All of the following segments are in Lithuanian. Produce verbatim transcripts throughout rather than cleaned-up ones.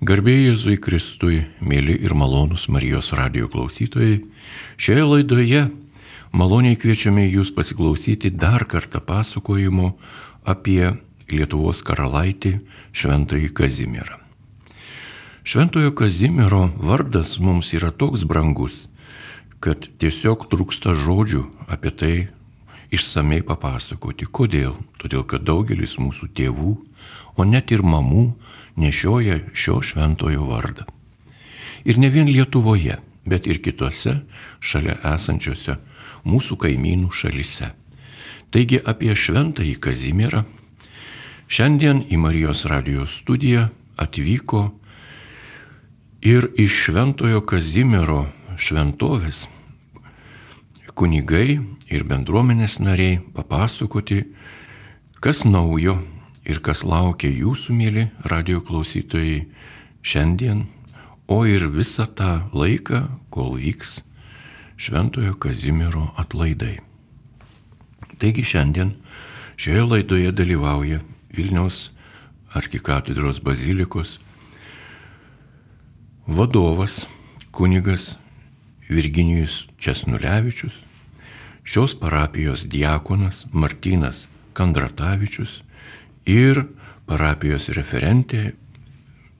Garbė Jėzui Kristui, mėly ir malonūs Marijos radijo klausytojai, šioje laidoje maloniai kviečiame jūs pasiklausyti dar kartą pasakojimo apie Lietuvos karalaitį Šventąjį Kazimierą. Šventojo Kazimiero vardas mums yra toks brangus, kad tiesiog trūksta žodžių apie tai išsamei papasakoti. Kodėl? Todėl, kad daugelis mūsų tėvų, o net ir mamų, nešioja šio šventojo vardą. Ir ne vien Lietuvoje, bet ir kitose šalia esančiose mūsų kaimynų šalyse. Taigi apie Šventąjį Kazimierą šiandien į Marijos radijos studiją atvyko ir iš Šventojo Kazimiero šventovės kunigai ir bendruomenės nariai papasakoti, kas naujo ir kas laukia jūsų, mėly radijo klausytojai, šiandien, o ir visą tą laiką, kol vyks Šventojo Kazimiero atlaidai. Taigi šiandien šioje laidoje dalyvauja Vilniaus arkikatedros bazilikos vadovas, kunigas Virginijus Česnulevičius, šios parapijos diakonas Martynas Kandratavičius ir parapijos referentė,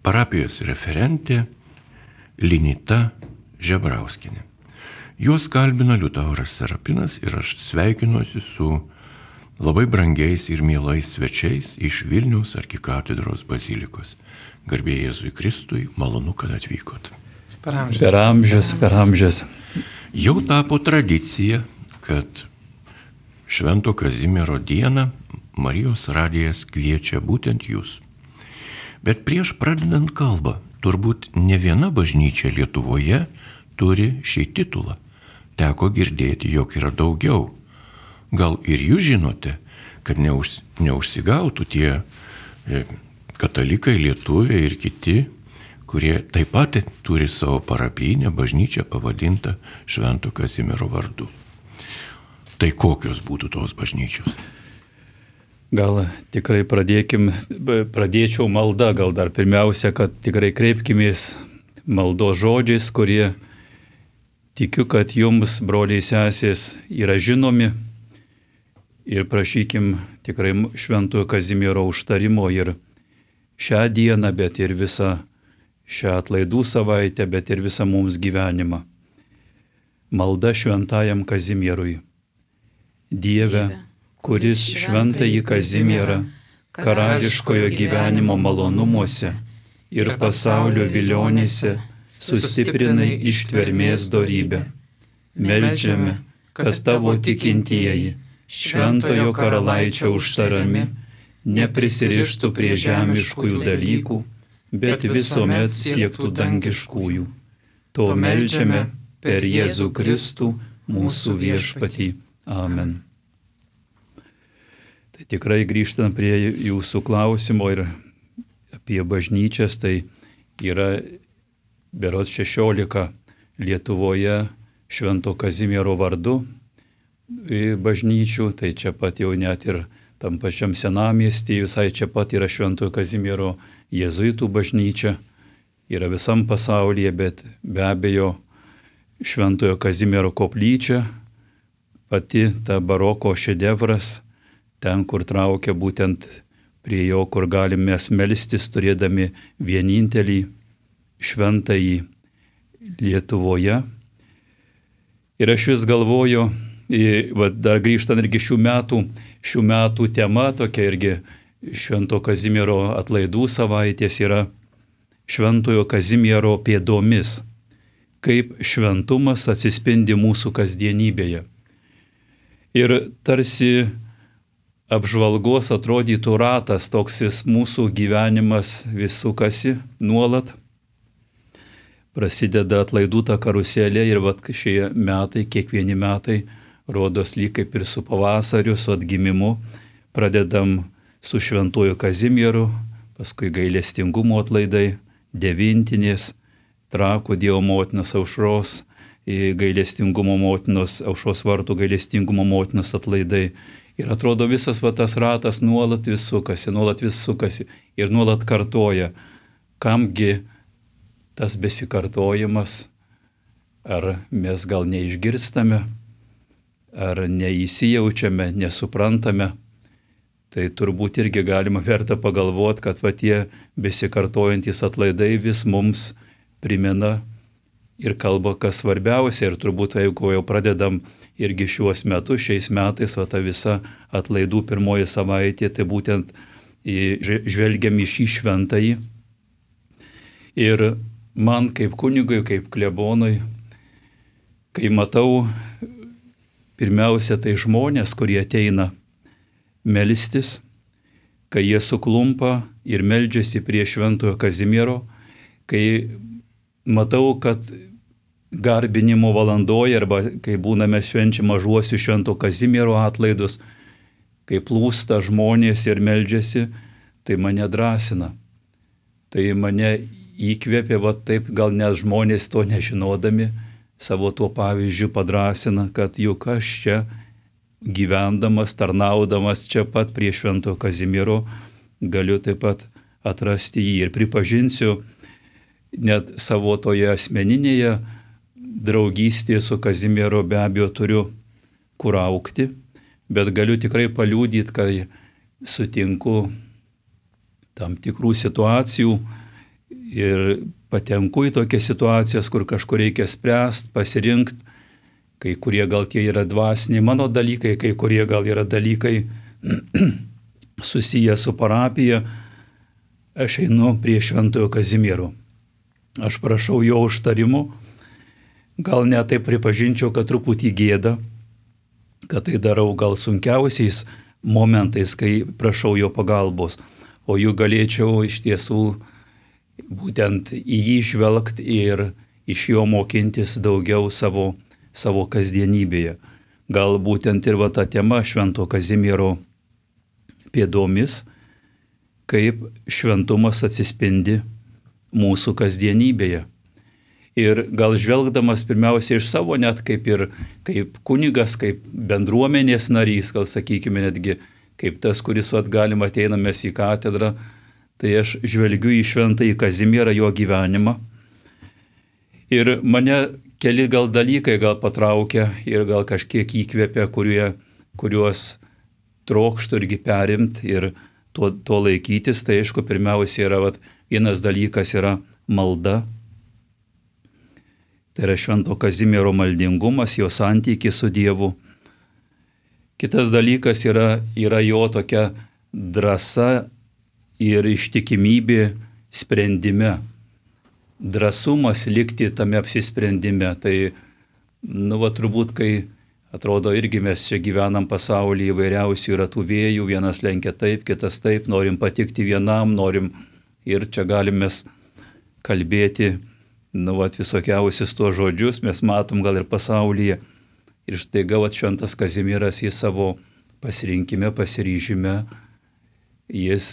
parapijos referentė Linita Žebrauskienė. Juos kalbina Liutauras Serapinas ir aš sveikinuosi su labai brangiais ir mielais svečiais iš Vilniaus arkikatedros bazilikos. Garbė Jėzui Kristui, malonu, kad atvykot. Per amžius. Per amžius, per amžius. Jau tapo tradicija, kad Švento Kazimiero dieną Marijos radijas kviečia būtent jūs. Bet prieš pradedant kalbą, turbūt ne viena bažnyčia Lietuvoje turi šį titulą. Teko girdėti, jog yra daugiau. Gal ir jūs žinote, kad neuž, neužsigautų tie e, katalikai, lietuviai ir kiti, kurie taip pat turi savo parapijinę bažnyčią pavadintą Švento Kazimiero vardu. Tai kokios būtų tos bažnyčios? Gal tikrai pradėkim, pradėčiau maldą, gal dar pirmiausia, kad tikrai kreipkimės maldos žodžiais, kurie tikiu, kad jums, broliai sesės, yra žinomi ir prašykim tikrai Šventojo Kazimiero užtarimo ir šią dieną, bet ir visą šią atlaidų savaitę, bet ir visą mums gyvenimą. Malda Šventajam Kazimierui. Dieve, kuris Šventąjį Kazimierą karališkojo gyvenimo malonumuose ir pasaulio vilionėse sustiprinai ištvermės dorybę. Meldžiame, kad tavo tikintieji Šventojo karalaičio užtarami neprisirištų prie žemiškųjų dalykų, bet visuomet siektų dangiškųjų. To meldžiame per Jėzų Kristų, mūsų viešpatį. Amen. Tai tikrai grįžtant prie jūsų klausimo ir apie bažnyčias, tai yra berods šešiolika Lietuvoje Švento Kazimiero vardu bažnyčių, tai čia pat jau net ir tam pačiam senamiestyje, visai čia pat yra Šventojo Kazimiero jėzuitų bažnyčia, yra visam pasaulyje, bet be abejo Šventojo Kazimiero koplyčia, pati ta baroko šedevras, ten, kur traukia būtent prie jo, kur galime melstis, turėdami vienintelį šventąjį Lietuvoje. Ir aš vis galvoju, va, dar grįžtant irgi šių metų, šių metų tema, tokia irgi Švento Kazimiero atlaidų savaitės yra Šventojo Kazimiero pėdomis, kaip šventumas atsispindi mūsų kasdienybėje. Ir tarsi apžvalgos atrodytų ratas, toks jis mūsų gyvenimas vis sukasi nuolat. Prasideda atlaidų ta karuselė ir vat šie metai, kiekvieni metai, rodos lyg kaip ir su pavasariu, su atgimimu, pradedam su Šventuoju Kazimieru, paskui gailestingumo atlaidai, devintinės, Trakų Dievo motinos aušros, gailestingumo motinos, aušros vartų gailestingumo motinos atlaidai. Ir atrodo visas va, tas ratas nuolat vis sukasi, nuolat vis sukasi ir nuolat kartoja, kamgi tas besikartojimas, ar mes gal neišgirstame, ar neįsijaučiame, nesuprantame, tai turbūt irgi galima verta pagalvoti, kad va tie besikartojantis atlaidai vis mums primena ir kalba, kas svarbiausia. Ir turbūt, jeigu jau pradedam irgi šiuos metus, šiais metais, va ta visa atlaidų pirmoji savaitė, tai būtent žvelgiam į šį šventąjį. Ir man kaip kunigui, kaip klebonui, kai matau pirmiausia tai žmonės, kurie ateina melstis, kai jie suklumpa ir meldžiasi prie šventojo Kazimiero, kai matau, kad garbinimo valandoje arba kai būname švenčiam mažuosius švento Kazimiero atlaidus, kai plūsta žmonės ir meldžiasi, tai mane drąsina. Tai mane įkvėpė, va taip, gal net žmonės to nežinodami, savo tuo pavyzdžiu padrasina, kad juk aš čia gyvendamas, tarnaudamas čia pat prie švento Kazimiero, galiu taip pat atrasti jį ir pripažinsiu, net savo toje asmeninėje draugystėje su Kazimiero be abejo turiu kur augti, bet galiu tikrai paliudyti, kai sutinku tam tikrų situacijų ir patenku į tokias situacijas, kur kažkur reikia spręsti, pasirinkti, kai kurie gal tie yra dvasiniai mano dalykai, kai kurie gal yra dalykai susiję su parapija, aš einu prie šventojo Kazimiero. Aš prašau jo užtarimo, gal net taip pripažinčiau, kad truputį gėda, kad tai darau gal sunkiausiais momentais, kai prašau jo pagalbos, o jų galėčiau iš tiesų būtent į jį žvelgti ir iš jo mokintis daugiau savo, savo kasdienybėje. Gal būtent ir va ta tema švento Kazimiero pėdomis, kaip šventumas atsispindi mūsų kasdienybėje. Ir gal žvelgdamas pirmiausia iš savo, net kaip ir kaip kunigas, kaip bendruomenės narys, gal sakykime netgi kaip tas, kuris atgalim ateinamės į katedrą, tai aš žvelgiu į šventąjį Kazimierą, jo gyvenimą. Ir mane keli gal dalykai gal patraukia ir gal kažkiek įkvėpia, kurie, kuriuos trokštų irgi perimti ir to, to laikytis. Tai aišku, pirmiausia yra, vat, vienas dalykas yra malda. Tai yra švento Kazimiero maldingumas, jo santykis su Dievu. Kitas dalykas yra, yra jo tokia drąsa ir ištikimybė sprendime. Drąsumas likti tame apsisprendime. Tai, nu, va, turbūt, kai atrodo irgi mes čia gyvenam pasaulyje, įvairiausių yra tų vėjų, vienas lenkia taip, kitas taip, norim patikti vienam, norim ir čia galim mes kalbėti, nu, va, visokiausius tuos žodžius, mes matom gal ir pasaulyje. Ir štai gal šventas Kazimieras į savo pasirinkime, pasiryžime, jis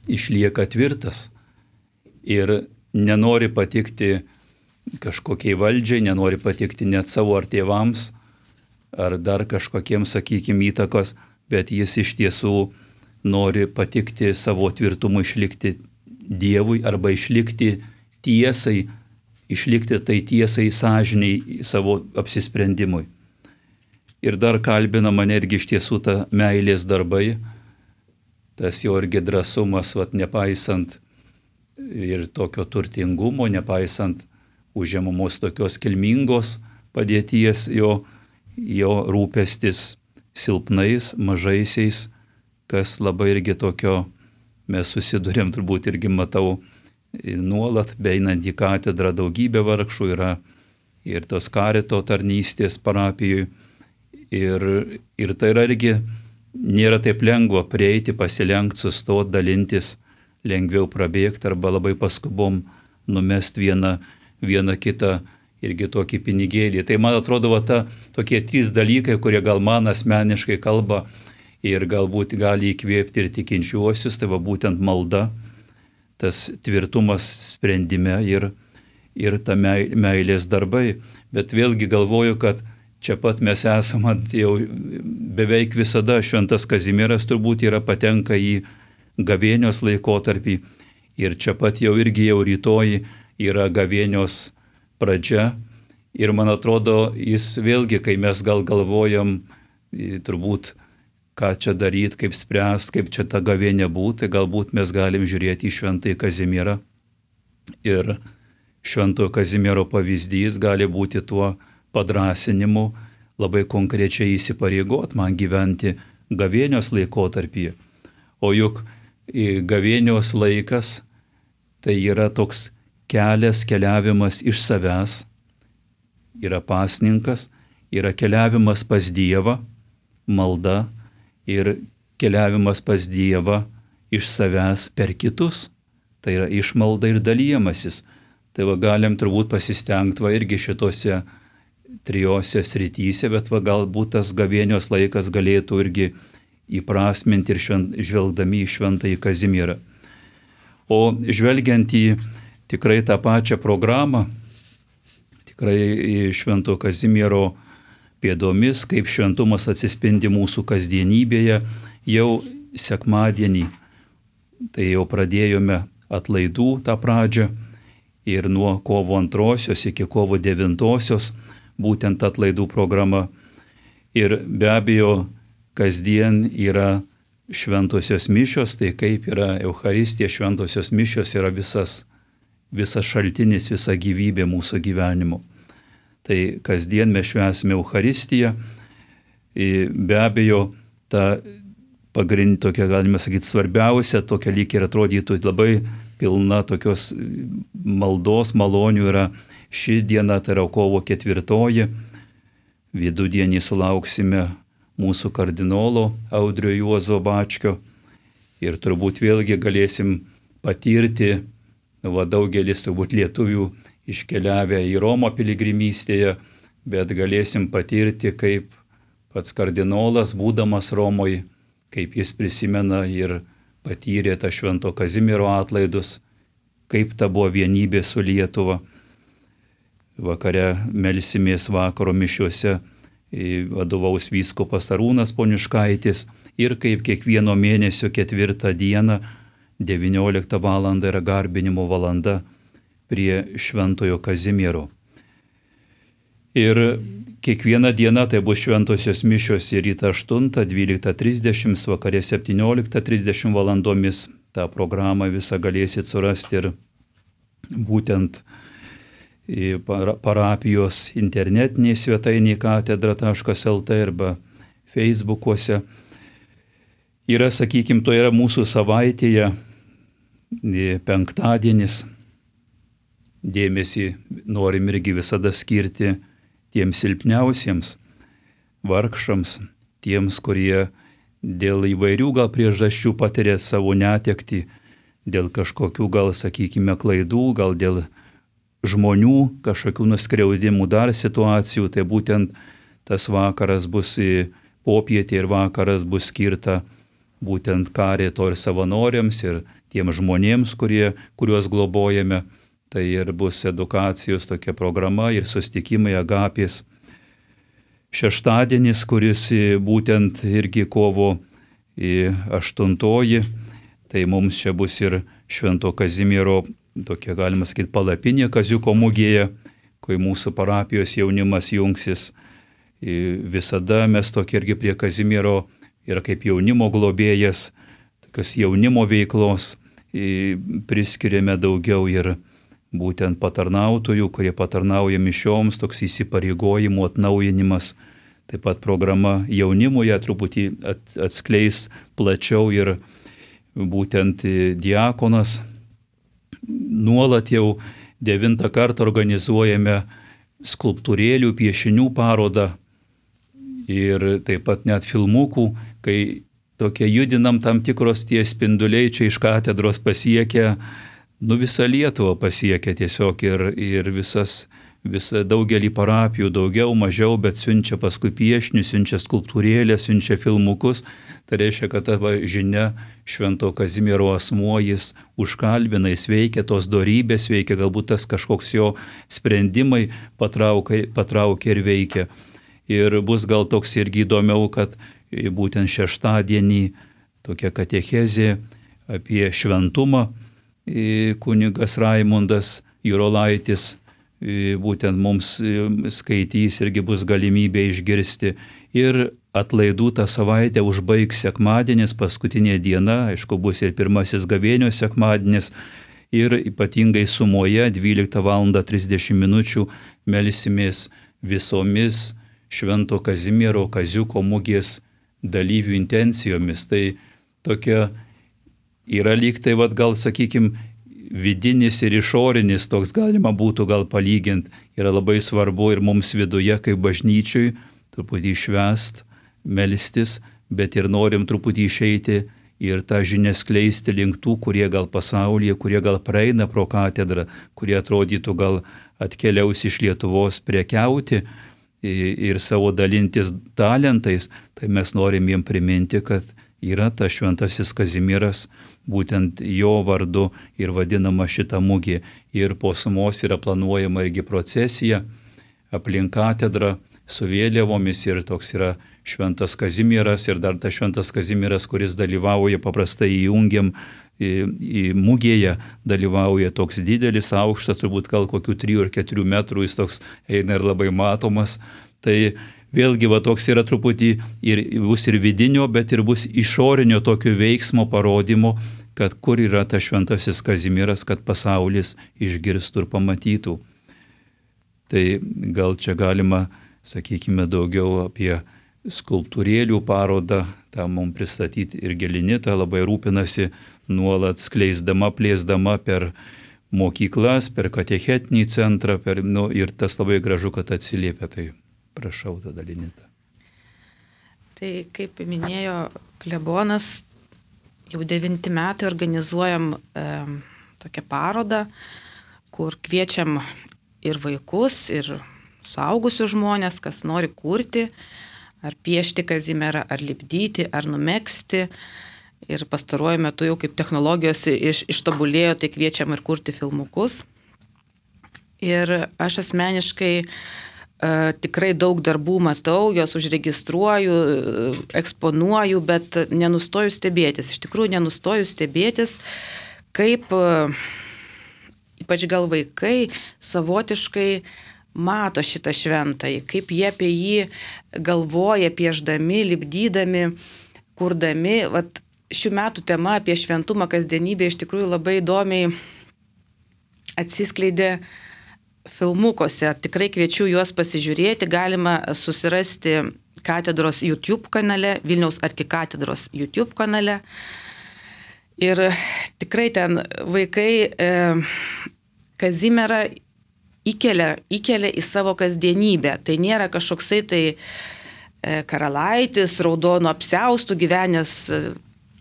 išlieka tvirtas ir nenori patikti kažkokiai valdžiai, nenori patikti net savo ar tėvams, ar dar kažkokiems, sakykime, įtakos, bet jis iš tiesų nori patikti savo tvirtumu, išlikti Dievui arba išlikti tiesai, išlikti tai tiesai, sąžiniai savo apsisprendimui. Ir dar kalbina mane irgi iš tiesų ta meilės darbai, tas jo irgi drąsumas, vat, nepaisant ir tokio turtingumo, nepaisant užimamos tokios kilmingos padėties, jo, jo rūpestis silpnais, mažaisiais, kas labai irgi tokio mes susidurėm, turbūt irgi matau nuolat, beeinant į katedrą daugybė vargšų yra ir tos karito tarnystės parapijoje. Ir, ir tai yra irgi nėra taip lengva prieiti, pasilenkti, sustoti, dalintis, lengviau prabėgti arba labai paskubom numesti vieną, vieną kitą irgi tokį pinigėlį. Tai man atrodo, va, ta, tokie trys dalykai, kurie gal man asmeniškai kalba ir galbūt gali įkvėpti ir tikinčiuosius, tai va būtent malda, tas tvirtumas sprendime ir, ir ta meilės darbai. Bet vėlgi galvoju, kad čia pat mes esame jau beveik visada, šventas Kazimieras turbūt yra patenka į gavėnios laikotarpį Ir čia pat jau irgi jau rytoj yra gavėnios pradžia. Ir man atrodo, jis vėlgi, kai mes gal galvojam, turbūt, ką čia daryti, kaip spręsti, kaip čia ta gavėnė būti, galbūt mes galim žiūrėti į Šventąjį Kazimierą. Ir Šventojo Kazimiero pavyzdys gali būti tuo padrasinimu, labai konkrečiai įsipareigot man gyventi gavėnios laikotarpyje. O juk gavėnios laikas tai yra toks kelias, keliavimas iš savęs, yra pasninkas, yra keliavimas pas Dievą, malda ir keliavimas pas Dievą iš savęs per kitus. Tai yra išmalda ir dalyjamasis. Tai va galim turbūt pasistengti va irgi šitose trijose srityse, bet va galbūt tas gavėnios laikas galėtų irgi įprasminti ir švent, žvelgdami į Šventąjį Kazimierą. O žvelgiant į tikrai tą pačią programą, tikrai į Šventojo Kazimiero pėdomis, kaip šventumas atsispindi mūsų kasdienybėje, jau sekmadienį, tai jau pradėjome atlaidų tą pradžią ir nuo kovo antrosios iki kovo devintosios būtent atlaidų programa. Ir be abejo, kasdien yra šventosios mišios, tai kaip yra Eucharistija, šventosios mišios yra visas, visas šaltinis, visa gyvybė mūsų gyvenimo. Tai kasdien mes švęsime Eucharistiją. Be abejo, ta pagrindinė tokia, galime sakyti, svarbiausia, tokia lyg ir atrodytų labai pilna tokios maldos, malonių yra ši diena, tai yra kovo ketvirtoji. Vidudienį sulauksime mūsų kardinolo Audrio Juozo Bačkio ir turbūt vėlgi galėsim patirti, va daugelis turbūt lietuvių iškeliavę į Romą piligrimystėje, bet galėsim patirti, kaip pats kardinolas, būdamas Romoje, kaip jis prisimena ir patyrė tą Švento Kazimiero atlaidus, kaip ta buvo vienybė su Lietuva. Vakare melsimės vakaro mišiuose, vadovaus vyskupas Arūnas Poniškaitis ir kaip kiekvieno mėnesio ketvirtą dieną, devynioliktą valandą yra garbinimo valanda prie Šventojo Kazimiero. Ir kiekviena diena tai bus šventosios mišios ir rytą aštuntą, dvyliktą trisdešimt, vakarė septynioliktą trisdešimt valandomis. tą programą visą galėsit surasti ir būtent parapijos internetinėje svetainėje katedra taškas el tė arba Facebookuose. Yra, sakykime, to yra mūsų savaitėje penktadienis. Dėmesį norim irgi visada skirti tiems silpniausiems, vargšams, tiems, kurie dėl įvairių gal priežasčių patiria savo netektį, dėl kažkokių gal, sakykime, klaidų, gal dėl žmonių, kažkokių nuskriaudimų dar situacijų, tai būtent tas vakaras bus popietė ir vakaras bus skirta būtent karito ir savanoriams ir tiem žmonėms, kurie, kuriuos globojame. Tai ir bus edukacijos tokia programa ir susitikimai Agapės. Šeštadienis, kuris būtent irgi kovo aštuntoji, tai mums čia bus ir Švento Kazimiero, tokia galima sakyti, palapinė Kaziuko mugėje, kai mūsų parapijos jaunimas jungsis. Visada mes tokia irgi prie Kazimiero ir kaip jaunimo globėjas, tokios jaunimo veiklos priskiriame daugiau ir būtent patarnautojų, kurie patarnauja mišioms, toks įsipareigojimų atnaujinimas. Taip pat programa jaunimui truputį atskleis plačiau ir būtent diakonas. Nuolat jau devintą kartą organizuojame skulptūrėlių, piešinių parodą ir taip pat net filmukų, kai tokie judinam tam tikros tie spinduliai čia iš katedros pasiekia, nu visą Lietuvą pasiekia tiesiog ir, ir visas, visa, daugelį parapijų, daugiau, mažiau, bet siunčia paskui piešinius, siunčia skulptūrėlės, siunčia filmukus. Tai reiškia, kad ta žinia Švento Kazimiero asmuo, jis užkalbina, jis veikia, tos dorybės veikia, galbūt tas kažkoks jo sprendimai patraukia, patraukia ir veikia. Ir bus gal toks irgi įdomiau, kad būtent šeštadienį tokia katechezė apie šventumą, kunigas Raimundas Jurolaitis būtent mums skaitys, irgi bus galimybė išgirsti. Ir atlaidų tą savaitę užbaigs sekmadienis, paskutinė diena, aišku, bus ir pirmasis gavėnios sekmadienis. Ir ypatingai sumoje dvyliktą valandą trisdešimt minučių melsimės visomis Švento Kazimiero Kaziuko mugės dalyvių intencijomis. Tai tokia yra lyg tai, vat, gal sakykime, vidinis ir išorinis, toks galima būtų gal palyginti. Yra labai svarbu ir mums viduje, kaip bažnyčiui, truputį švęst, melstis, bet ir norim truputį išeiti ir tą žinią skleisti link tų, kurie gal pasaulyje, kurie gal praeina pro katedrą, kurie atrodytų gal atkeliaus iš Lietuvos prekiauti ir savo dalintis talentais. Tai mes norim jiem priminti, kad yra tas Šventasis Kazimieras, būtent jo vardu ir vadinama šita mugė. Ir po sumos yra planuojama irgi procesija aplink katedrą su vėliavomis ir toks yra Šventas Kazimieras ir dar tas Šventas Kazimieras, kuris dalyvauja, paprastai įjungiam į, į mugėje, dalyvauja toks didelis, aukštas, turbūt gal kokių trijų ar keturių metrų, jis toks eina ir labai matomas. Tai vėlgi va toks yra truputį ir bus ir vidinio, bet ir bus išorinio tokio veiksmo parodymo, kad kur yra tas Šventasis Kazimieras, kad pasaulis išgirstų ir pamatytų. Tai gal čia galima, sakykime, daugiau apie skulptūrėlių parodą, tą mums pristatyti ir Gelinita labai rūpinasi nuolat skleisdama, plėsdama per mokyklas, per katechetinį centrą, per, nu, ir tas labai gražu, kad atsiliepia. Tai prašau tada, Linita. Tai kaip minėjo klebonas, jau devinti metai organizuojam e, tokią parodą, kur kviečiam ir vaikus, ir suaugusius žmonės, kas nori kurti, ar piešti Kazimierą, ar lipdyti, ar numegzti. Ir pastaruoju metu jau kaip technologijos iš, ištobulėjo, tai kviečiam ir kurti filmukus. Ir aš asmeniškai uh, tikrai daug darbų matau, juos užregistruoju, eksponuoju, bet nenustoju stebėtis. Iš tikrųjų nenustoju stebėtis, kaip uh, ypač gal vaikai savotiškai mato šitą šventąjį, kaip jie apie jį galvoja, pieždami, lipdydami, kurdami. Vat šių metų tema apie šventumą kasdienybę iš tikrųjų labai įdomiai atsiskleidė filmukuose. Tikrai kviečiu juos pasižiūrėti, galima susirasti katedros YouTube kanale, Vilniaus arkikatedros YouTube kanale. Ir tikrai ten vaikai e, Kazimierą Įkelia, įkelia į savo kasdienybę. Tai nėra kažkoksai tai e, karalaitis, raudonų apsiaustų gyvenęs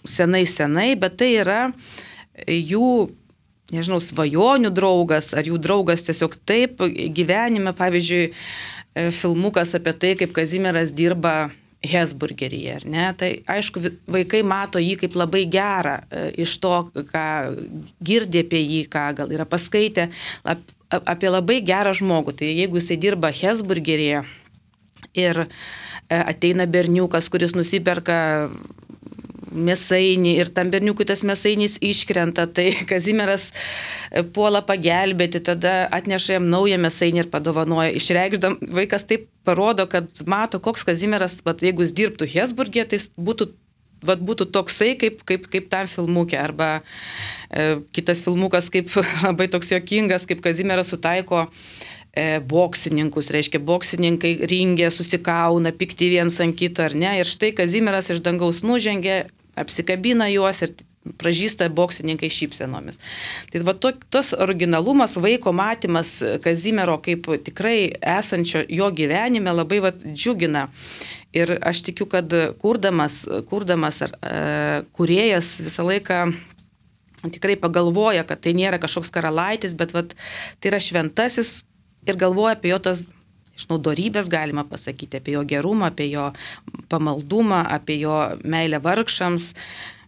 senai senai, bet tai yra jų, nežinau, svajonių draugas, ar jų draugas tiesiog taip gyvenime. Pavyzdžiui, filmukas apie tai, kaip Kazimieras dirba Hesburgeryje, ar ne? Tai aišku, vaikai mato jį kaip labai gerą iš to, ką girdė apie jį, ką gal yra paskaitę, apie labai gerą žmogų. Tai jeigu jisai dirba Hesburgeryje ir ateina berniukas, kuris nusiperka mėsainį ir tam berniukui tas mėsainis iškrenta, tai Kazimieras puola pagelbėti, tada atneša jam naują mėsainį ir padovanoja. Išreikšdam, vaikas taip parodo, kad mato, koks Kazimieras, bet jeigu jis dirbtų Hesburgeryje, tai būtų Vat būtų toksai, kaip, kaip, kaip tam filmukė, arba e, kitas filmukas, kaip labai toks juokingas, kaip Kazimieras sutaiko e, boksininkus, reiškia, boksininkai ringė, susikauna, pikti viens ant kito, ar ne, ir štai Kazimieras iš dangaus nužengė, apsikabina juos ir pražįsta boksininkai šypsenomis. Tai va to, tos originalumas, vaiko matymas Kazimiero kaip tikrai esančio jo gyvenime labai va džiugina. Ir aš tikiu, kad kurdamas, kurdamas ar e, kūrėjas visą laiką tikrai pagalvoja, kad tai nėra kažkoks karalaitis, bet vat, tai yra šventasis ir galvoja apie jo tas, žinau, dorybės, galima pasakyti, apie jo gerumą, apie jo pamaldumą, apie jo meilę vargšams.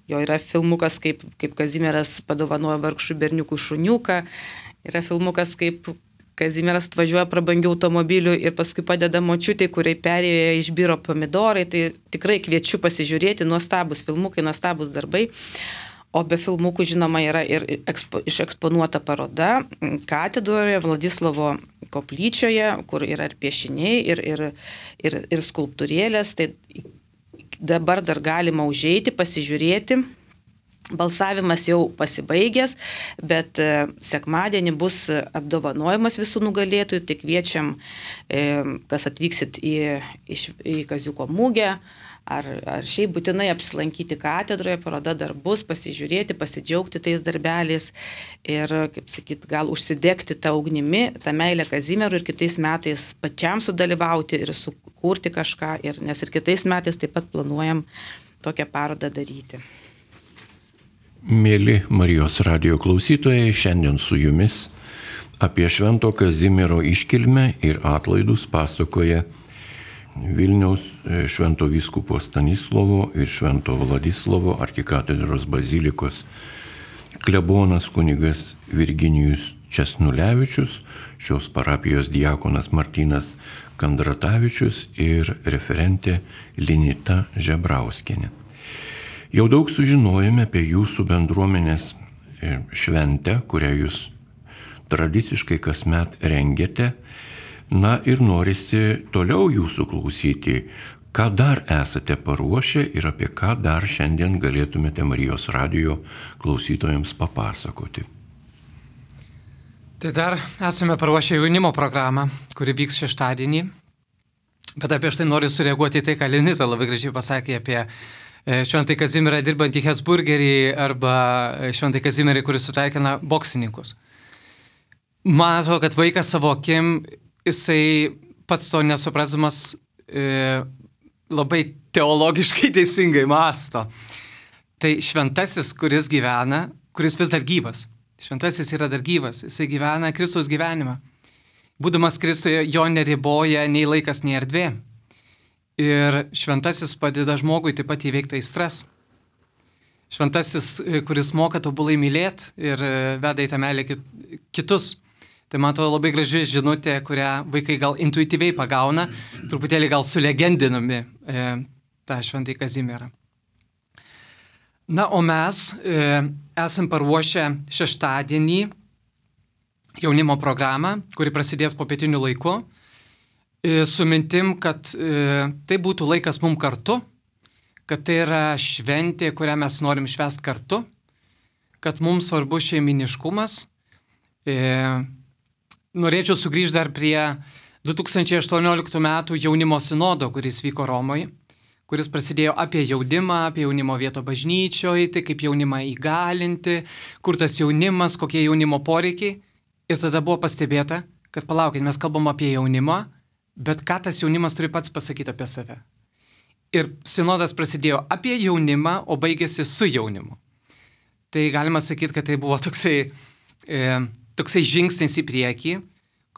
Jo yra filmukas, kaip, kaip Kazimieras padovanojo vargšų berniukų šuniuką. Yra filmukas, kaip Kazimieras atvažiuoja prabangių automobilių ir paskui padeda močiutei, kuriai perėjo išbiro pomidorai. Tai tikrai kviečiu pasižiūrėti, nuostabus filmukai, nuostabus darbai. O be filmukų, žinoma, yra ir ekspo, išeksponuota paroda katedroje Vladislovo koplyčioje, kur yra ir piešiniai, ir, ir, ir, ir skulptūrėlės. Tai dabar dar galima užeiti, pasižiūrėti. Balsavimas jau pasibaigęs, bet sekmadienį bus apdovanojimas visų nugalėtojų. Tai kviečiam, kas atvyksit į, į Kaziuko mugę, ar, ar šiaip būtinai apsilankyti katedroje, paroda dar bus, pasižiūrėti, pasidžiaugti tais darbeliais ir, kaip sakyt, gal užsidegti tą ugnimi, tą meilę Kazimierui ir kitais metais pačiam sudalyvauti ir sukurti kažką, ir, nes ir kitais metais taip pat planuojam tokią parodą daryti. Mėly Marijos radijo klausytojai, šiandien su jumis apie Švento Kazimiero iškilmę ir atlaidus pasakoja Vilniaus Švento vyskupo Stanislovo ir Švento Vladislovo arkikatedros bazilikos klebonas kunigas Virginijus Česnulevičius, šios parapijos diakonas Martynas Kandratavičius ir referentė Linita Žebrauskienė. Jau daug sužinojome apie jūsų bendruomenės šventę, kurią jūs tradiciškai kasmet rengiate. Na ir norisi toliau jūsų klausyti, ką dar esate paruošę ir apie ką dar šiandien galėtumėte Marijos radijo klausytojams papasakoti. Tai dar esame paruošę jaunimo programą, kuri vyks šeštadienį. Bet apie štai noriu sureaguoti į tai, ką Linita labai gražiai pasakė apie Šventąjį Kazimierą dirbantį Hesburgerį arba Šventąjį Kazimierį, kuris sutaikina boksininkus. Man atrodo, kad vaikas savo akim, jisai pats to nesuprasdamas e, labai teologiškai teisingai mąsto. Tai šventasis, kuris gyvena, kuris vis dar gyvas. Šventasis yra dar gyvas, jisai gyvena Kristaus gyvenimą. Būdamas Kristuje, jo neriboja nei laikas, nei erdvė. Ir šventasis padeda žmogui taip pat įveikti aistras. Šventasis, kuris moka tobulai mylėti ir veda į tą meilę kitus. Tai man atrodo labai graži žinutė, kurią vaikai gal intuityviai pagauna, truputėlį gal sulegendinami e, tą Šventąjį Kazimierą. Na, o mes e, esam paruošę šeštadienį jaunimo programą, kuri prasidės po pietinių laiku. Su mintim, kad e, tai būtų laikas mum kartu, kad tai yra šventė, kurią mes norim švęsti kartu, kad mums svarbu šeiminiškumas. E, norėčiau sugrįžti dar prie du tūkstančiai aštuonioliktų metų jaunimo sinodo, kuris vyko Romoje, kuris prasidėjo apie jaunimą, apie jaunimo vietą bažnyčioje, tai kaip jaunimą įgalinti, kur tas jaunimas, kokie jaunimo poreikiai. Ir tada buvo pastebėta, kad palaukit, mes kalbam apie jaunimą, bet ką tas jaunimas turi pats pasakyti apie save. Ir sinodas prasidėjo apie jaunimą, o baigėsi su jaunimu. Tai galima sakyti, kad tai buvo toksai, e, toksai žingsnis į priekį,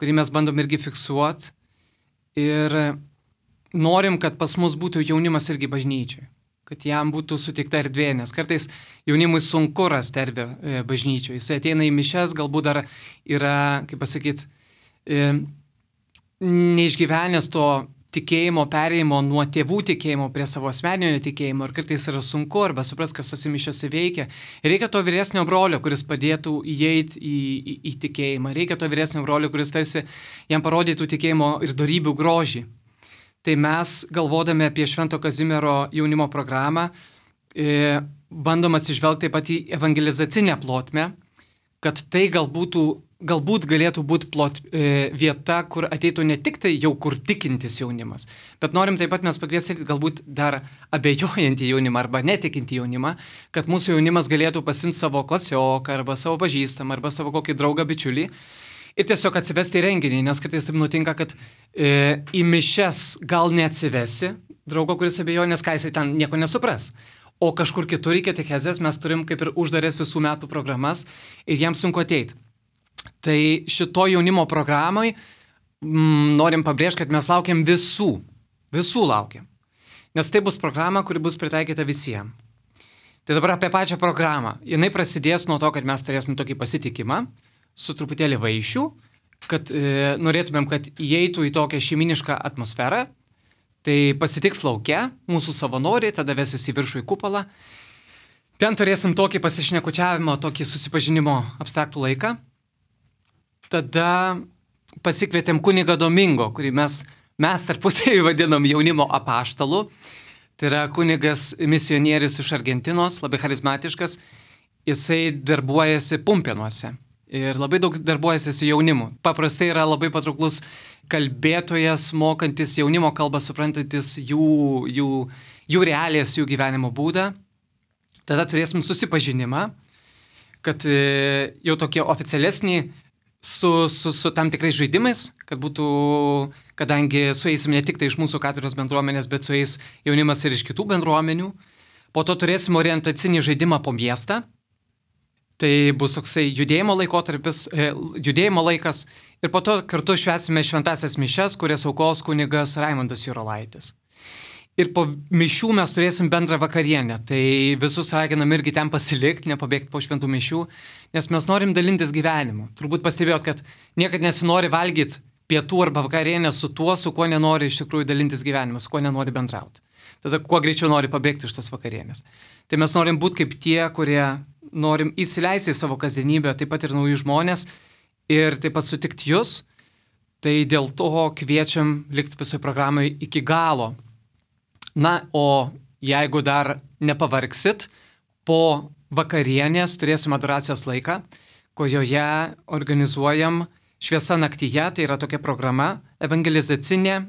kurį mes bandom irgi fiksuoti. Ir norim, kad pas mus būtų jaunimas irgi bažnyčiai. Kad jam būtų suteikta erdvė, nes kartais jaunimui sunku rasti erdvę e, bažnyčioje. Jis ateina į mišias, galbūt dar yra, kaip pasakyti, e, neišgyvenęs to tikėjimo perėjimo nuo tėvų tikėjimo prie savo asmeninio tikėjimo ir kartais yra sunku arba supras, kas tose mišiose veikia. Reikia to vyresnio brolio, kuris padėtų įeiti į, į, į tikėjimą. Reikia to vyresnio brolio, kuris tarsi jam parodytų tikėjimo ir dorybių grožį. Tai mes, galvodami apie Švento Kazimiero jaunimo programą, e, bandom atsižvelgti taip pat į evangelizacinę plotmę, kad tai galbūt, galbūt galėtų būti plot, e, vieta, kur ateitų ne tik tai jau kur tikintis jaunimas, bet norim taip pat mes pakviesti galbūt dar abejojantį jaunimą arba netikinti jaunimą, kad mūsų jaunimas galėtų pasimti savo klasioką arba savo pažįstamą arba savo kokį draugą bičiulį ir tiesiog atsivesti į renginį, nes kartais taip nutinka, kad e, į mišias gal neatsivesi draugo, kuris abejoja, nes ką jisai ten nieko nesupras. O kažkur kitur į katechezės mes turim kaip ir uždarės visų metų programas ir jiems sunku ateiti. Tai šito jaunimo programai mm, norim pabrėžti, kad mes laukiam visų. Visų laukiam. Nes tai bus programa, kuri bus pritaikyta visiems. Tai dabar apie pačią programą. Jinai prasidės nuo to, kad mes turėsim tokį pasitikimą su truputėlį vaišių, kad e, norėtumėm, kad įeitų į tokią šeiminišką atmosferą. Tai pasitiks laukia, mūsų savanoriai, tada vesis į viršų į kupolą. ten turėsim tokį pasišnekučiavimo, tokį susipažinimo abstraktų laiką. Tada pasikvietėm kunigą Domingo, kurį mes, mes tarpusavį vadinam jaunimo apaštalu. Tai yra kunigas misionierius iš Argentinos, labai charizmatiškas. Jisai darbuojasi Pumpėnuose ir labai daug darbuojasi su jaunimu. Paprastai yra labai patrauklus kalbėtojas, mokantis jaunimo kalbą, suprantantis jų, jų, jų realijas, jų gyvenimo būdą. Tada turėsim susipažinimą, kad jau tokie oficialesni su, su, su tam tikrais žaidimais, kad būtų, kadangi sueisim ne tik tai iš mūsų katedros bendruomenės, bet sueis jaunimas ir iš kitų bendruomenių. Po to turėsim orientacinį žaidimą po miestą. Tai bus toksai judėjimo laikotarpis, judėjimo laikas. Ir po to kartu švęsime šventasias mišias, kurias aukos kunigas Raimondas Jurolaitis. Ir po mišių mes turėsim bendrą vakarienę. Tai visus raginam irgi ten pasilikti, nepabėgti po šventų mišių, nes mes norim dalintis gyvenimu. Turbūt pastebėjot, kad niekad nesinori valgyti pietų arba vakarienę su tuo, su kuo nenori iš tikrųjų dalintis gyvenimu, su kuo nenori bendrauti. Tada kuo greičiau nori pabėgti iš tos vakarienės. Tai mes norim būti kaip tie, kurie norim įsileisti į savo kasdienybę, taip pat ir naujus žmonės ir taip pat sutikti jūs. Tai dėl to kviečiam likti visoje programoje iki galo. Na, o jeigu dar nepavargsit, po vakarienės turėsim adoracijos laiką, kurioje organizuojam Šviesa naktyje, tai yra tokia programa evangelizacinė,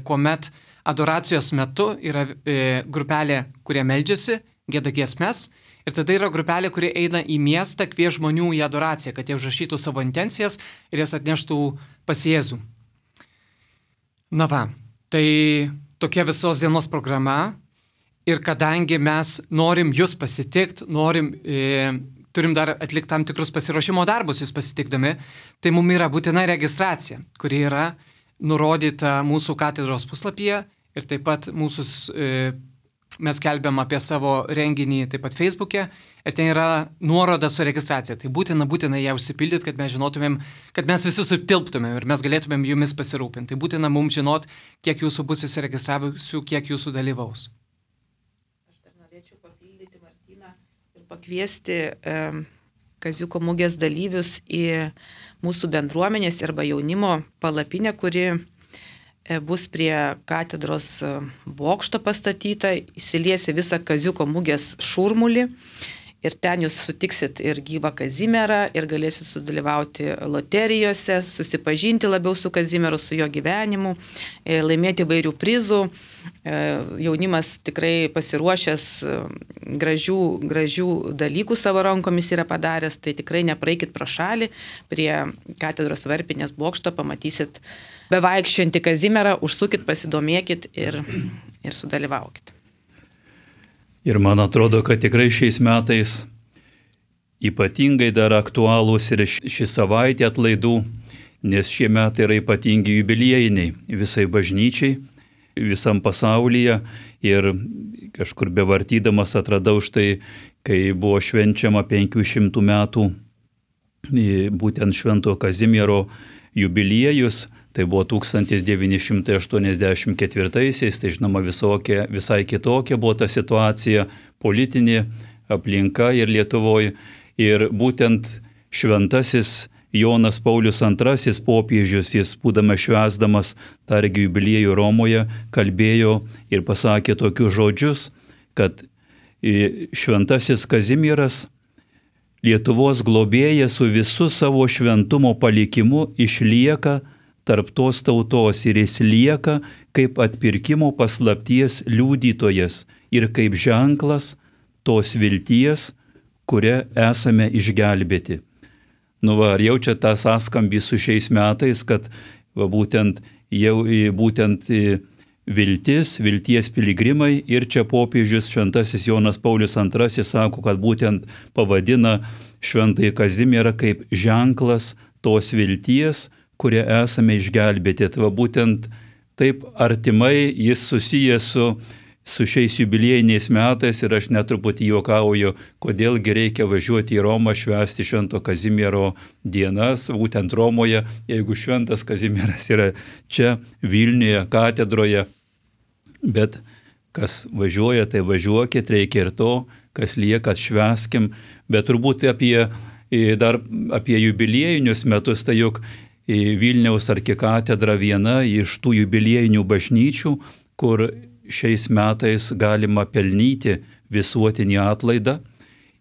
kuomet adoracijos metu yra grupelė, kurie meldžiasi, gieda giesmes, ir tada yra grupelė, kurie eina į miestą, kvies žmonių į adoraciją, kad jie užrašytų savo intencijas ir jas atneštų pas Jėzų. Na va, tai tokia visos dienos programa ir kadangi mes norim jūs pasitikti, norim, e, turim dar atlikti tam tikrus pasiruošimo darbus jūs pasitikdami, tai mums yra būtina registracija, kuri yra nurodyta mūsų katedros puslapyje ir taip pat mūsų, e, mes kelbiam apie savo renginį taip pat Facebook'e ir ten yra nuoroda su registracija. Tai būtina, būtina ją užsipildyti, kad mes žinotumėm, kad mes visi sutilptumėm ir mes galėtumėm jumis pasirūpinti. Tai būtina mums žinot, kiek jūsų bus įsiregistravusių, kiek jūsų dalyvaus. Aš dar norėčiau papildyti Martyną ir pakviesti e, Kaziuko mugės dalyvius į mūsų bendruomenės arba jaunimo palapinę, kuri bus prie katedros bokšto pastatyta, įsiliesi visą Kaziuko mugės šurmulį ir ten jūs sutiksit ir gyvą Kazimierą ir galėsit sudalyvauti loterijose, susipažinti labiau su Kazimieru, su jo gyvenimu, laimėti įvairių prizų. Jaunimas tikrai pasiruošęs gražių, gražių dalykų savo rankomis yra padaręs, tai tikrai nepraeikit pro šalį, prie katedros varpinės bokšto pamatysit bevaikščiojantį Kazimierą, užsukit, pasidomėkit ir, ir sudalyvaukit. Ir man atrodo, kad tikrai šiais metais ypatingai dar aktualūs ir ši savaitė atlaidų, nes šie metai yra ypatingi jubiliejiniai visai bažnyčiai, visam pasaulyje. Ir kažkur bevartydamas atradau štai, kai buvo švenčiama penkių šimtų metų būtent Švento Kazimiero jubiliejus. Tai buvo tūkstantis devyni šimtai aštuoniasdešimt ketvirtaisiais, tai žinoma visokia, visai kitokia buvo ta situacija, politinė aplinka ir Lietuvoje. Ir būtent šventasis Jonas Paulius antrasis popiežius, jis būdamas švęsdamas tą jubiliejų Romoje, kalbėjo ir pasakė tokius žodžius, kad šventasis Kazimieras, Lietuvos globėjas su visu savo šventumo palikimu išlieka tarp tos tautos ir jis lieka kaip atpirkimo paslapties liudytojas ir kaip ženklas tos vilties, kuria esame išgelbėti. Nu va, ar jaučia tą sąskambį su šiais metais, kad va, būtent, jau, būtent viltis, vilties piligrimai ir čia popiežius šventasis Jonas Paulius antrasis sako, kad būtent pavadina šventąjį Kazimierą kaip ženklas tos vilties, kurie esame išgelbėti. Tai va, būtent taip artimai jis susijęs su, su šiais jubiliejiniais metais ir aš netruputį juokauju, kodėlgi reikia važiuoti į Romą švęsti Švento Kazimiero dienas, būtent Romoje, jeigu Šventas Kazimieras yra čia Vilniuje, katedroje. Bet kas važiuoja, tai važiuokit, reikia ir to, kas lieka, atšvęskim, bet turbūt apie, dar apie jubiliejinius metus, tai juk Vilniaus arkikatedra viena iš tų jubiliejinių bažnyčių, kur šiais metais galima pelnyti visuotinį atlaidą.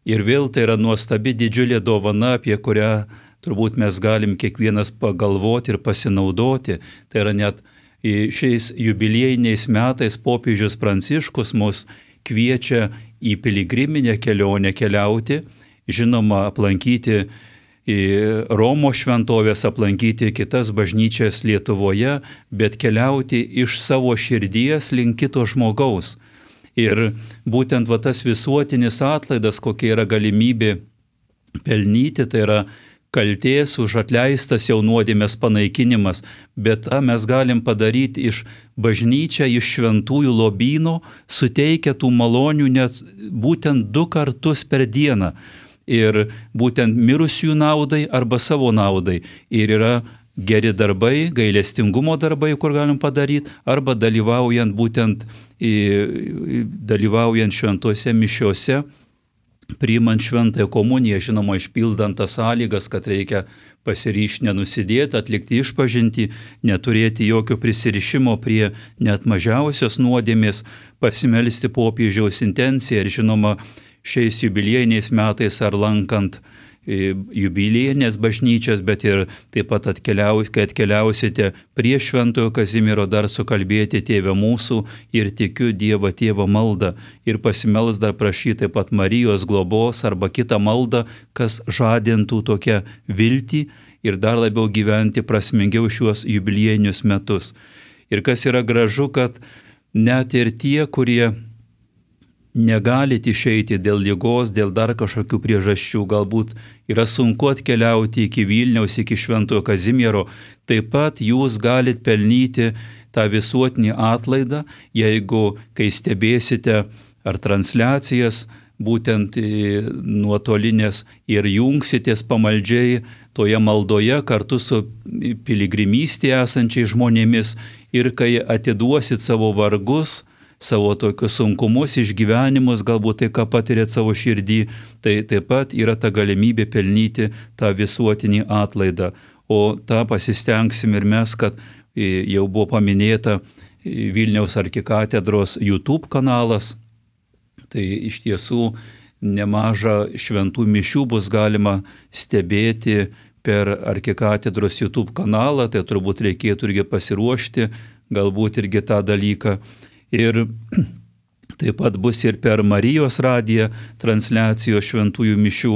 Ir vėl tai yra nuostabi didžiulė dovana, apie kurią turbūt mes galim kiekvienas pagalvoti ir pasinaudoti. Tai yra net šiais jubiliejiniais metais popiežius Pranciškus mus kviečia į piligriminę kelionę keliauti, žinoma, aplankyti Romos šventovės, aplankyti kitas bažnyčias Lietuvoje, bet keliauti iš savo širdies link kito žmogaus. Ir būtent va, tas visuotinis atlaidas, kokia yra galimybė pelnyti, tai yra kaltės už atleistas jau nuodėmės panaikinimas, bet tą mes galim padaryti iš bažnyčią, iš šventųjų lobyno, suteikia tų malonių net būtent du kartus per dieną. Ir būtent mirusiųjų naudai arba savo naudai. Ir yra geri darbai, gailestingumo darbai, kur galim padaryti, arba dalyvaujant būtent dalyvaujant šventose mišiose, priimant šventąją komuniją, žinoma, išpildant tas sąlygas, kad reikia pasiryšti nenusidėti, atlikti išpažintį, neturėti jokio prisirišimo prie net mažiausios nuodėmės, pasimelsti popiežiaus intenciją ir, žinoma, šiais jubiliejiniais metais ar lankant jubiliejinės bažnyčias, bet ir taip pat atkeliaus, kai atkeliausite prie Šventojo Kazimiero, dar sukalbėti Tėve mūsų ir tikiu Dievą Tėvą maldą ir pasimels dar prašyti taip pat Marijos globos arba kitą maldą, kas žadintų tokią viltį ir dar labiau gyventi prasmingiau šiuos jubiliejinius metus. Ir kas yra gražu, kad net ir tie, kurie negalit išeiti dėl ligos, dėl dar kažkokių priežasčių, galbūt yra sunku atkeliauti iki Vilniaus, iki Šventojo Kazimiero, taip pat jūs galit pelnyti tą visuotinį atlaidą, jeigu, kai stebėsite ar transliacijas, būtent nuotolinės ir jungsitės pamaldžiai toje maldoje kartu su piligrimystėje esančiais žmonėmis ir kai atiduosit savo vargus, savo tokius sunkumus, išgyvenimus, galbūt tai, ką patirėt savo širdį, tai taip pat yra ta galimybė pelnyti tą visuotinį atlaidą. O tą pasistengsim ir mes, kad jau buvo paminėta Vilniaus arkikatedros YouTube kanalas, tai iš tiesų nemažą šventų mišių bus galima stebėti per arkikatedros YouTube kanalą, tai turbūt reikėtų irgi pasiruošti, galbūt irgi tą dalyką. Ir taip pat bus ir per Marijos radiją transliacijos šventųjų mišių.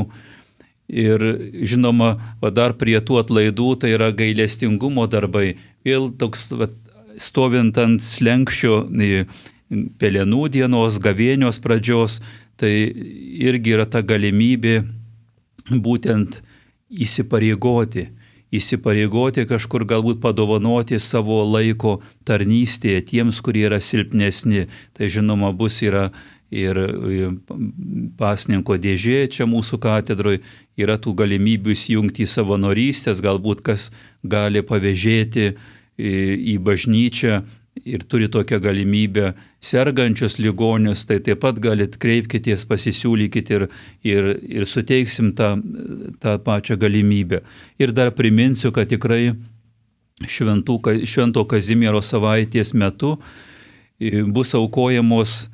Ir žinoma, va dar prie tų atlaidų tai yra gailestingumo darbai. Vėl toks va, stovint ant slenkščio pelenų dienos, gavėnios pradžios, tai irgi yra ta galimybė būtent įsipareigoti. įsipareigoti kažkur galbūt padovanoti savo laiko tarnystėje tiems, kurie yra silpnesni. Tai žinoma bus yra ir pasninko dėžė čia mūsų katedroje, yra tų galimybių įsijungti į savanorystės, galbūt kas gali pavėžėti į bažnyčią ir turi tokią galimybę sergančius ligonius, tai taip pat galit kreipkitės, pasisiūlykit ir, ir, ir suteiksim tą, tą pačią galimybę. Ir dar priminsiu, kad tikrai šventų, Švento Kazimiero savaitės metu bus aukojamos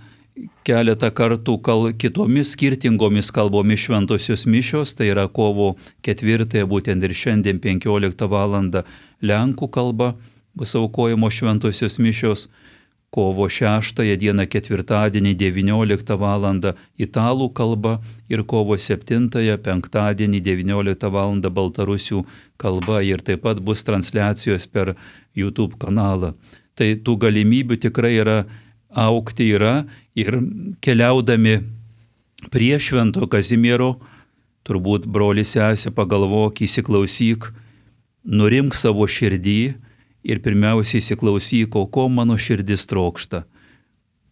keletą kartų kal, kitomis skirtingomis kalbomis šventosios mišios, tai yra kovo ketvirtąją, būtent ir šiandien penkioliktą valandą lenkų kalba bus aukojamos šventosios mišios, kovo šeštąją dieną ketvirtadienį devynioliktą valandą italų kalba ir kovo septintąją penktadienį devynioliktą valandą baltarusių kalba ir taip pat bus transliacijos per YouTube kanalą. Tai tų galimybių tikrai yra, aukti yra ir keliaudami prie Švento Kazimiero, turbūt brolis sesė pagalvok, įsiklausyk, nurimk savo širdį, ir pirmiausiai įsiklausyk, o ko mano širdis trokšta,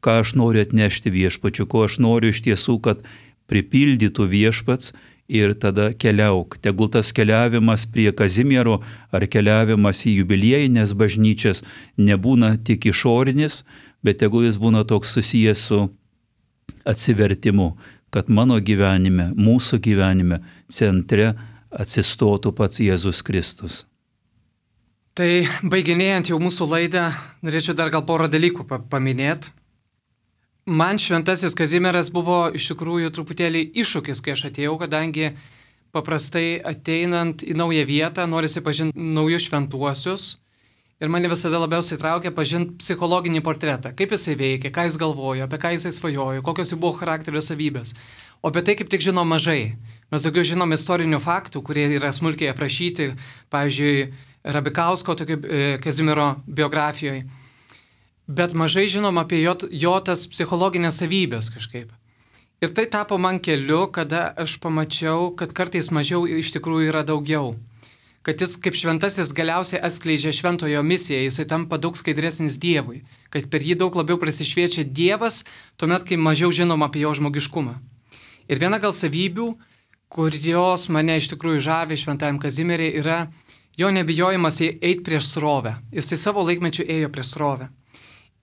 ką aš noriu atnešti viešpačiu, ko aš noriu iš tiesų, kad pripildytų viešpats ir tada keliauk. Tegul tas keliavimas prie Kazimiero ar keliavimas į jubiliejinės bažnyčias nebūna tik išorinis, bet tegul jis būna toks susijęs su atsivertimu, kad mano gyvenime, mūsų gyvenime centre atsistotų pats Jėzus Kristus. Tai baiginėjant jau mūsų laidą, norėčiau dar gal porą dalykų paminėti. Man šventasis Kazimieras buvo iš tikrųjų truputėlį iššūkis, kai aš atėjau, kadangi paprastai ateinant į naują vietą norisi pažinti naujus šventuosius ir mane visada labiausiai traukia pažinti psichologinį portretą, kaip jisai veikia, ką jis galvojo, apie ką jisai svajojo, kokios jų buvo charakterio savybės. O apie tai kaip tik žinom mažai. Mes daugiau žinom istorinių faktų, kurie yra smulkiai aprašyti, pavyzdžiui, Rabikausko tokio e, Kazimiero biografijoje. Bet mažai žinom apie jo, jo tas psichologinės savybės kažkaip. Ir tai tapo man keliu, kada aš pamačiau, kad kartais mažiau iš tikrųjų yra daugiau. Kad jis kaip šventasis galiausiai atskleidžia šventojo misiją, jisai tampa daug skaidresnis Dievui. Kad per jį daug labiau prasišviečia Dievas, tuomet, kai mažiau žinom apie jo žmogiškumą. Ir viena gal savybių, kurios mane iš tikrųjų žavi šventajam Kazimierį, yra jo nebijojimas eiti prieš srovę. Jisai savo laikmečiu ėjo prieš srovę.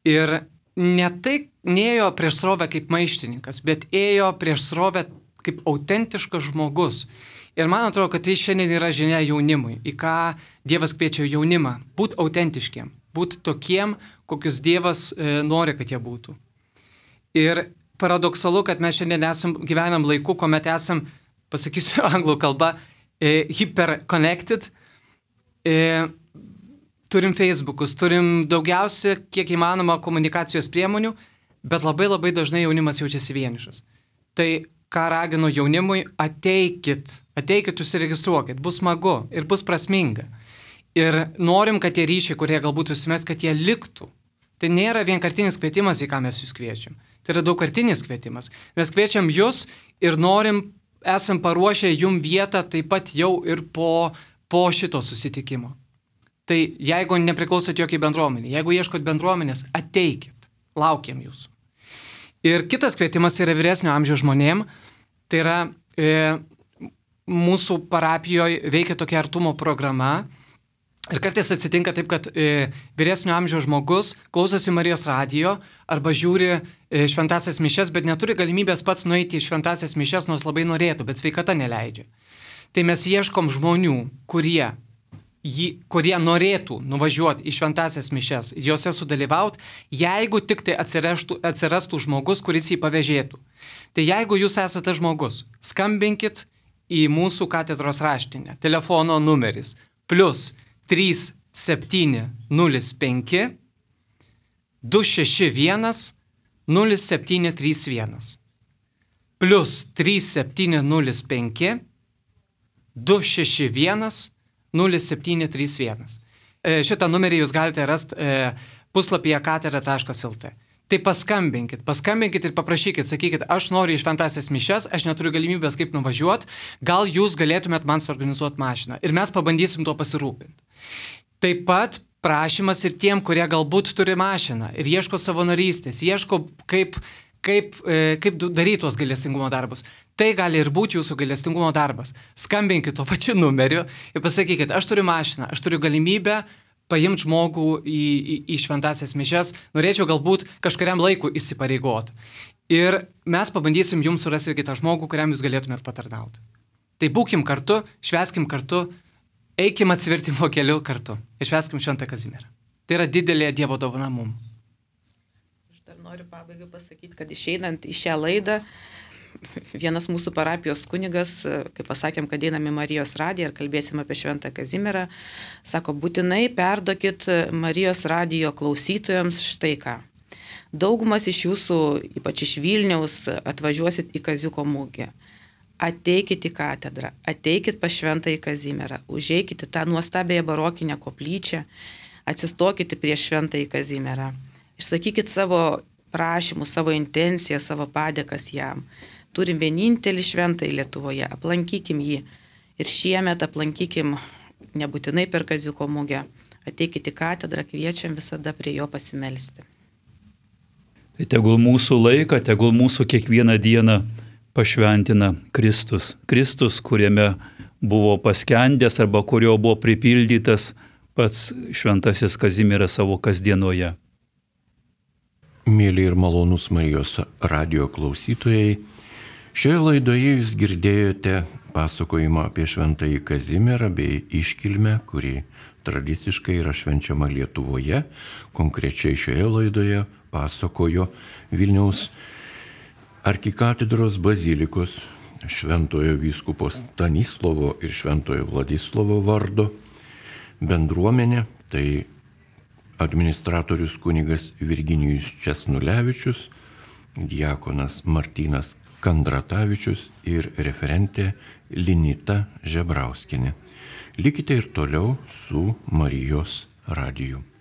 Ir ne tai neėjo prieš srovę kaip maištininkas, bet ėjo prieš srovę kaip autentiškas žmogus. Ir man atrodo, kad tai šiandien yra žinia jaunimui, į ką Dievas kviečia jaunimą. Būt autentiškiem, būt tokiem, kokius Dievas e, nori, kad jie būtų. Ir paradoksalu, kad mes šiandien esam, gyvenam laiku, kuomet esam, pasakysiu anglų kalbą, e, hyper-connected, e, turim Facebookus, turim daugiausia, kiek įmanoma, komunikacijos priemonių, bet labai labai dažnai jaunimas jaučiasi vienišas. Tai ką raginu jaunimui, ateikit, ateikit, užsiregistruokit, bus smagu ir bus prasminga. Ir norim, kad tie ryšiai, kurie galbūt užsimės, kad jie liktų. Tai nėra vienkartinis kvietimas, į ką mes jūs kviečiam. Tai yra daugkartinis kvietimas. Mes kviečiam jūs ir norim, esam paruošę jum vietą taip pat jau ir po, po šito susitikimo. Tai jeigu nepriklausot jokiai bendruomenė, jeigu ieškot bendruomenės, ateikit, laukiam jūsų. Ir kitas kvietimas yra vyresnio amžiaus žmonėm, tai yra e, mūsų parapijoje veikia tokia artumo programa ir kartais atsitinka taip, kad e, vyresnio amžiaus žmogus klausosi Marijos radijo arba žiūri e, šventasias mišias, bet neturi galimybės pats nueiti į šventasias mišias, nors labai norėtų, bet sveikata neleidžia. Tai mes ieškom žmonių, kurie Jį, kurie norėtų nuvažiuoti į šventasias mišias, juose sudalyvauti, jeigu tik tai atsirastų, atsirastų žmogus, kuris jį pavėžėtų. Tai jeigu jūs esate žmogus, skambinkit į mūsų katedros raštinę. Telefono numeris plus trys septyni nulis penki du šeši vienas nulis septyni trys vienas plus trys septyni nulis penki du šeši vienas nulis septyni trys vienas. Šitą numerį jūs galite rasti puslapyje katedra taškas el tė. Tai paskambinkit, paskambinkit ir paprašykit, sakykit, aš noriu į šventasias mišias, aš neturiu galimybės kaip nuvažiuoti, gal jūs galėtumėt man suorganizuoti mašiną ir mes pabandysim tuo pasirūpinti. Taip pat prašymas ir tiem, kurie galbūt turi mašiną ir ieško savanorystės, ieško kaip, kaip, kaip daryti tuos gailestingumo darbus. Tai gali ir būti jūsų gailestingumo darbas. Skambinkit tuo pačiu numeriu ir pasakykit, aš turiu mašiną, aš turiu galimybę paimti žmogų į, į, į šventasias mišias, norėčiau galbūt kažkuriam laiku įsipareigoti. Ir mes pabandysim jums surasti ir kitą žmogų, kuriam jūs galėtumėt patarnauti. Tai būkim kartu, švęskim kartu, eikim atsivertimo keliu kartu ir švęskim Šventą Kazimierą. Tai yra didelė Dievo dovana mum. Aš dar noriu pabaigai pasakyti, kad išeinant į šią laidą, vienas mūsų parapijos kunigas, kai pasakėm, kad einam į Marijos radiją ir kalbėsim apie Šventą Kazimierą, sako, būtinai perduokit Marijos radijo klausytojams štai ką. Daugumas iš jūsų, ypač iš Vilniaus, atvažiuosit į Kaziuko mugę. Ateikit į katedrą, ateikit pas Šventąjį Kazimierą, užeikit į tą nuostabiąją barokinę koplyčią, atsistokit prieš Šventąjį Kazimierą, išsakykit savo prašymus, savo intenciją, savo padėkas jam. Turim vienintelį šventąjį Lietuvoje, aplankykim jį ir šiemet aplankykim nebūtinai per Kaziuko mugę. Ateikit į katedrą, kviečiam visada prie jo pasimelsti. Tai tegul mūsų laiką, tegul mūsų kiekvieną dieną pašventina Kristus. Kristus, kuriame buvo paskendęs arba kurio buvo pripildytas pats šventasis Kazimieras savo kasdienoje. Mėly ir malonūs Marijos radijo klausytojai, Šioje laidoje jūs girdėjote pasakojimą apie Šventąjį Kazimierą bei iškilmę, kuri tradiciškai yra švenčiama Lietuvoje. Konkrečiai šioje laidoje pasakojo Vilniaus arkikatedros bazilikos šventojo vyskupo Stanislovo ir šventojo Vladislovo vardo bendruomenė, tai administratorius kunigas Virginijus Česnulevičius, diakonas Martynas Kandratavičius ir referentė Linita Žebrauskienė. Likite ir toliau su Marijos radiju.